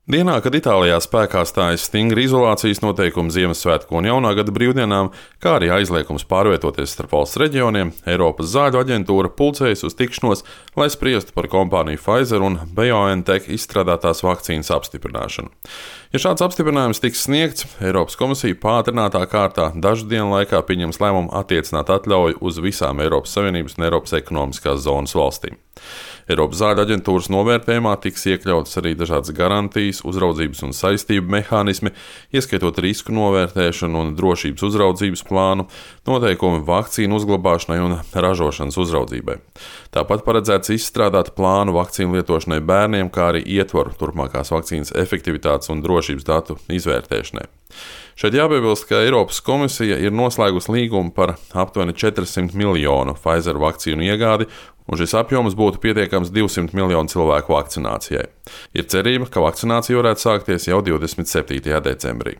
Dienā, kad Itālijā spēkā stājas stingri izolācijas noteikumi Ziemassvētku un Jaunā gada brīvdienām, kā arī aizliegums pārvietoties starp valsts reģioniem, Eiropas zāļu aģentūra pulcējas uz tikšanos, lai spriestu par kompāniju Pfizer un BioNTech izstrādātās vakcīnas apstiprināšanu. Ja šāds apstiprinājums tiks sniegts, Eiropas komisija pātrinātā kārtā dažu dienu laikā pieņems lēmumu attiecināt atļauju uz visām Eiropas Savienības un Eiropas ekonomiskās zonas valstīm. Eiropas zāļu aģentūras novērtējumā tiks iekļautas arī dažādas garantijas, uzraudzības un saistību mehānismi, ieskaitot risku novērtēšanu un drošības uzraudzības plānu, noteikumi vakcīnu uzglabāšanai un ražošanas uzraudzībai. Tāpat paredzēts izstrādāt plānu vakcīnu lietošanai bērniem, kā arī ietvaru turpmākās vakcīnas efektivitātes un drošības datu izvērtēšanai. Šeit jāpiebilst, ka Eiropas komisija ir noslēgusi līgumu par aptuveni 400 miljonu Pfizer vakcīnu iegādi, un šis apjoms būtu pietiekams 200 miljonu cilvēku vakcinācijai. Ir cerība, ka vakcinācija varētu sākties jau 27. decembrī.